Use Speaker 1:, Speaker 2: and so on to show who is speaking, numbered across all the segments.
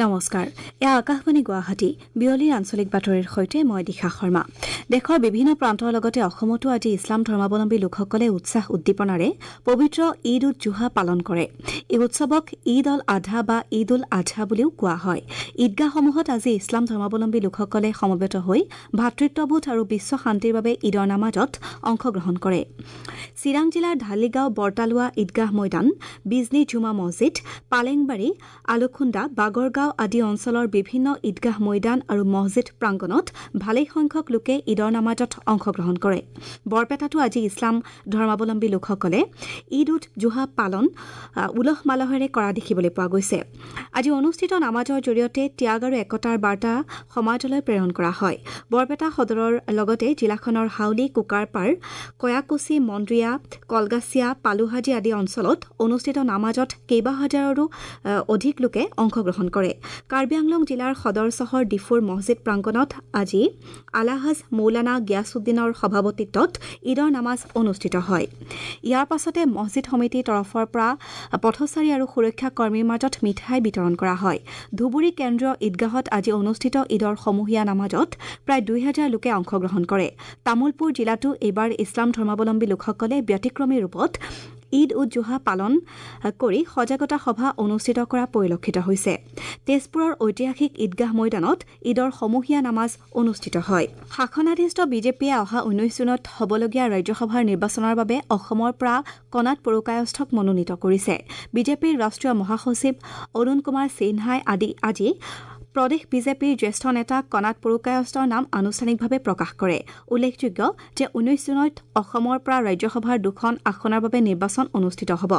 Speaker 1: নমস্কাৰ, এয়া আকাশবাণী গুৱাহাটী। বিয়লিৰ আঞ্চলিক বাতৰিৰ সৈতে মই দিশা শৰ্মা। দেশৰ বিভিন্ন প্ৰান্তৰ লগতে অসমতো আজি ইছলাম ধৰ্মাৱলম্বী লোকসকলে উৎসাহ উদ্দীপনাৰে পবিত্ৰ ঈদ উদ জোহা পালন কৰে। এই উৎসৱক ঈদ অল আধা বা ঈদ উল আজহা বুলিও কোৱা হয়। ঈদগাহসমূহত আজি ইছলাম ধৰ্মাৱলম্বী লোকসকলে সমবেত হৈ ভাতৃত্ববোধ আৰু বিশ্ব শান্তিৰ বাবে ঈদৰ নামাজত অংশগ্ৰহণ কৰে। চিৰাং জিলাৰ ঢালিগাঁও বৰতালোৱা ঈদগাহ ময়দান, বিজনী জুমা মছজিদ, পালেংবাৰী, আলুখুন্দা, বাগৰগাঁও আদি অঞ্চলৰ বিভিন্ন ঈদগাহ ময়দান আৰু মছজিদ প্ৰাংগণত ভালেসংখ্যক লোকে ঈদৰ নামাজত অংশগ্ৰহণ কৰে। বৰপেটাতো আজি ইছলাম ধৰ্মাৱলম্বী লোকসকলে ঈদ উদ জোহা পালন উলহ মালহেৰে কৰা দেখিবলৈ পোৱা গৈছে। আজি অনুষ্ঠিত নামাজৰ জৰিয়তে ত্যাগ আৰু একতাৰ বাৰ্তা সমাজলৈ প্ৰেৰণ কৰা হয়। বৰপেটা সদৰৰ লগতে জিলাখনৰ হাউলী, কুকাৰপাৰ, কয়াকুছি, মন্দ্ৰিয়া, কলগাছিয়া, পালুহাজী আদি অঞ্চলত অনুষ্ঠিত নামাজত কেইবা হাজাৰৰো অধিক লোকে অংশগ্ৰহণ কৰে। কাৰ্বি আংলং জিলাৰ সদৰ চহৰ ডিফুৰ মছজিদ প্ৰাংগণত আজি আলাহাজ মৌলানা গিয়াছুদ্দিনৰ সভাপতিত্বত ঈদৰ নামাজ অনুষ্ঠিত হয়। ইয়াৰ পাছতে মছজিদ সমিতিৰ তৰফৰ পৰা পথচাৰী আৰু সুৰক্ষা কৰ্মীৰ মাজত মিঠাই বিতৰণ কৰা হয়। ধুবুৰী কেন্দ্ৰীয় ঈদগাহত আজি অনুষ্ঠিত ঈদৰ সমূহীয়া নামাজত প্ৰায় 2000 লোকে অংশগ্ৰহণ কৰে। তামুলপুৰ জিলাতো এইবাৰ ইছলাম ধৰ্মাৱলম্বী লোকসকলে ব্যতিক্ৰমী ৰূপত ঈদ উদ জোহা পালন কৰি সজাগতা সভা অনুষ্ঠিত কৰা পৰিলক্ষিত হৈছে। তেজপুৰৰ ঐতিহাসিক ঈদগাহ ময়দানত ঈদৰ সমূহীয়া নামাজ অনুষ্ঠিত হয়। শাসনাধিষ্ঠ বিজেপিয়ে অহা 19 জুনত হ'বলগীয়া ৰাজ্যসভাৰ নিৰ্বাচনৰ বাবে অসমৰ পৰা কণাত পুৰকায়স্থক মনোনীত কৰিছে। বিজেপিৰ ৰাষ্ট্ৰীয় মহাসচিব অৰুণ কুমাৰ সিনহাই আজি প্ৰদেশ বিজেপিৰ জ্যেষ্ঠ নেতা কণাত পুৰকায়স্থৰ নাম আনুষ্ঠানিকভাৱে প্ৰকাশ কৰে। উল্লেখযোগ্য যে 19 জুনত অসমৰ পৰা ৰাজ্যসভাৰ দুখন আসনৰ বাবে নিৰ্বাচন অনুষ্ঠিত হ'ব।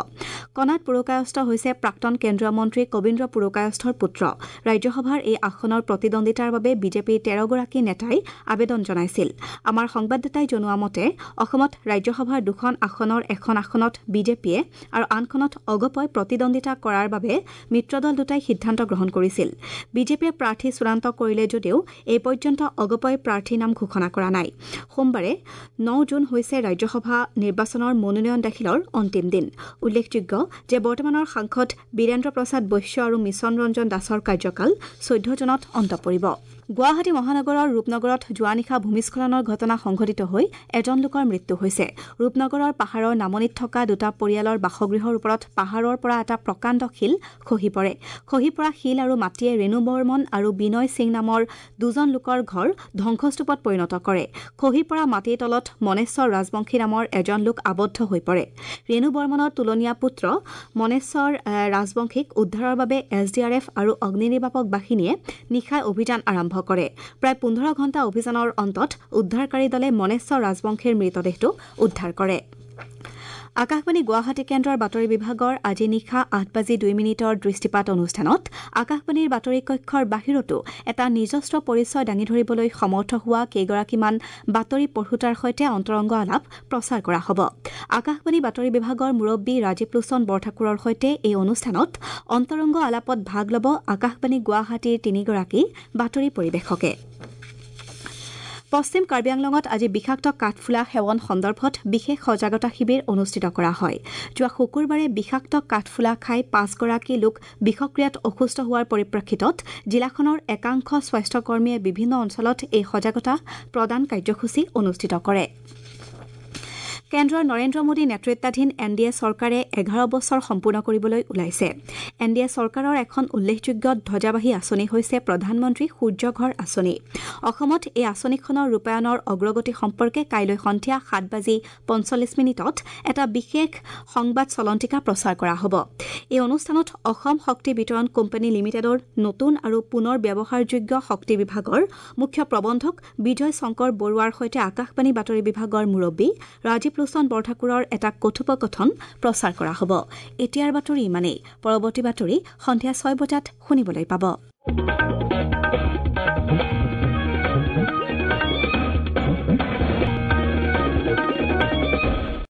Speaker 1: কণাত পুৰকায়স্থ হৈছে প্ৰাক্তন কেন্দ্ৰীয় মন্ত্ৰী কবীন্দ্ৰ পুৰকায়স্থৰ পুত্ৰ। ৰাজ্যসভাৰ এই আসনৰ প্ৰতিদ্বন্দ্বিতাৰ বাবে বিজেপিৰ 13গৰাকী নেতাই আবেদন জনাইছিল। আমাৰ সংবাদদাতাই জনোৱা মতে অসমত ৰাজ্যসভাৰ দুখন আসনৰ এখন আসনত বিজেপিয়ে আৰু আনখনত অগপই প্ৰতিদ্বন্দ্বিতা কৰাৰ বাবে মিত্ৰদল দুটাই সিদ্ধান্ত গ্ৰহণ কৰিছিল। বিজেপি প্ৰাৰ্থী চূড়ান্ত কৰিলে যদিও এই পৰ্যন্ত অগপই প্ৰাৰ্থীৰ নাম ঘোষণা কৰা নাই। সোমবাৰে 9 জুন হৈছে ৰাজ্যসভা নিৰ্বাচনৰ মনোনয়ন দাখিলৰ অন্তিম দিন। উল্লেখযোগ্য যে বৰ্তমানৰ সাংসদ বীৰেন্দ্ৰ প্ৰসাদ বৈশ্য আৰু মিছন ৰঞ্জন দাসৰ কাৰ্যকাল 14 জুনত অন্ত পৰিব। গুৱাহাটী মহানগৰৰ ৰূপনগৰত যোৱা নিশা ভূমিস্খলনৰ ঘটনা সংঘটিত হৈ এজন লোকৰ মৃত্যু হৈছে। ৰূপনগৰৰ পাহাৰৰ নামনিত থকা দুটা পৰিয়ালৰ বাসগৃহৰ ওপৰত পাহাৰৰ পৰা এটা প্ৰকাণ্ড শিল খহি পৰে। খহি পৰা শিল আৰু মাটিয়ে ৰেণু বৰ্মন আৰু বিনয় সিং নামৰ দুজন লোকৰ ঘৰ ধ্বংসস্তূপত পৰিণত কৰে। খহি পৰা মাটিৰ তলত মনেশ্বৰ ৰাজবংশী নামৰ এজন লোক আবদ্ধ হৈ পৰে। ৰেণু বৰ্মনৰ তুলনীয়া পুত্ৰ মনেশ্বৰ ৰাজবংশীক উদ্ধাৰৰ বাবে এছ ডি আৰ এফ আৰু অগ্নি নিৰ্বাপক বাহিনীয়ে নিশাই অভিযান আৰম্ভ কৰে। প্ৰায় 15 ঘণ্টা অভিযানৰ অন্তত উদ্ধাৰকাৰী দলে মনেশ্বৰ ৰাজবংশীৰ মৃতদেহটো উদ্ধাৰ কৰে। আকাশবাণী গুৱাহাটী কেন্দ্ৰৰ বাতৰি বিভাগৰ আজি নিশা 8:02 দৃষ্টিপাত অনুষ্ঠানত আকাশবাণীৰ বাতৰি কক্ষৰ বাহিৰতো এটা নিজস্ব পৰিচয় দাঙি ধৰিবলৈ সমৰ্থ হোৱা কেইগৰাকীমান বাতৰি পঢ়োতাৰ সৈতে অন্তৰংগ আলাপ প্ৰচাৰ কৰা হ'ব। আকাশবাণী বাতৰি বিভাগৰ মুৰব্বী ৰাজীৱ লোচন বৰঠাকুৰৰ সৈতে এই অনুষ্ঠানত অন্তৰংগ আলাপত ভাগ ল'ব আকাশবাণী গুৱাহাটীৰ তিনিগৰাকী বাতৰি পৰিৱেশকে। পশ্চিম কাৰ্বি আংলঙত আজি বিষাক্ত কাঠফুলা সেৱন সন্দৰ্ভত বিশেষ সজাগতা শিবিৰ অনুষ্ঠিত কৰা হয়। যোৱা শুকুৰবাৰে বিষাক্ত কাঠফুলা খাই 5গৰাকী লোক বিষক্ৰিয়াত অসুস্থ হোৱাৰ পৰিপ্ৰেক্ষিতত জিলাখনৰ একাংশ স্বাস্থ্যকৰ্মীয়ে বিভিন্ন অঞ্চলত এই সজাগতা প্ৰদান কাৰ্যসূচী অনুষ্ঠিত কৰে। কেন্দ্ৰৰ নৰেন্দ্ৰ মোদী নেতৃত্বাধীন এন ডি এ চৰকাৰে 11 বছৰ সম্পূৰ্ণ কৰিবলৈ ওলাইছে। এন ডি এ চৰকাৰৰ এখন উল্লেখযোগ্য ধ্বজাবাহী আঁচনি হৈছে প্ৰধানমন্ত্ৰী সূৰ্যঘৰ আঁচনি। অসমত এই আঁচনিখনৰ ৰূপায়ণৰ অগ্ৰগতি সম্পৰ্কে কাইলৈ সন্ধিয়া 7:45 এটা বিশেষ সংবাদ চলন্তিকা প্ৰচাৰ কৰা হ'ব। এই অনুষ্ঠানত অসম শক্তি বিতৰণ কোম্পানী লিমিটেডৰ নতুন আৰু পুনৰ ব্যৱহাৰযোগ্য শক্তি বিভাগৰ মুখ্য প্ৰবন্ধক বিজয় শংকৰ বৰুৱাৰ সৈতে আকাশবাণী বাতৰি বিভাগৰ মুৰব্বী ৰাজীৱ লোচন বৰঠাকুৰৰ এটা কথোপকথন প্ৰচাৰ কৰা হ'ব। এতিয়াৰ বাতৰি ইমানেই। পৰৱৰ্তী বাতৰি সন্ধিয়া 6 বজাত শুনিবলৈ পাব।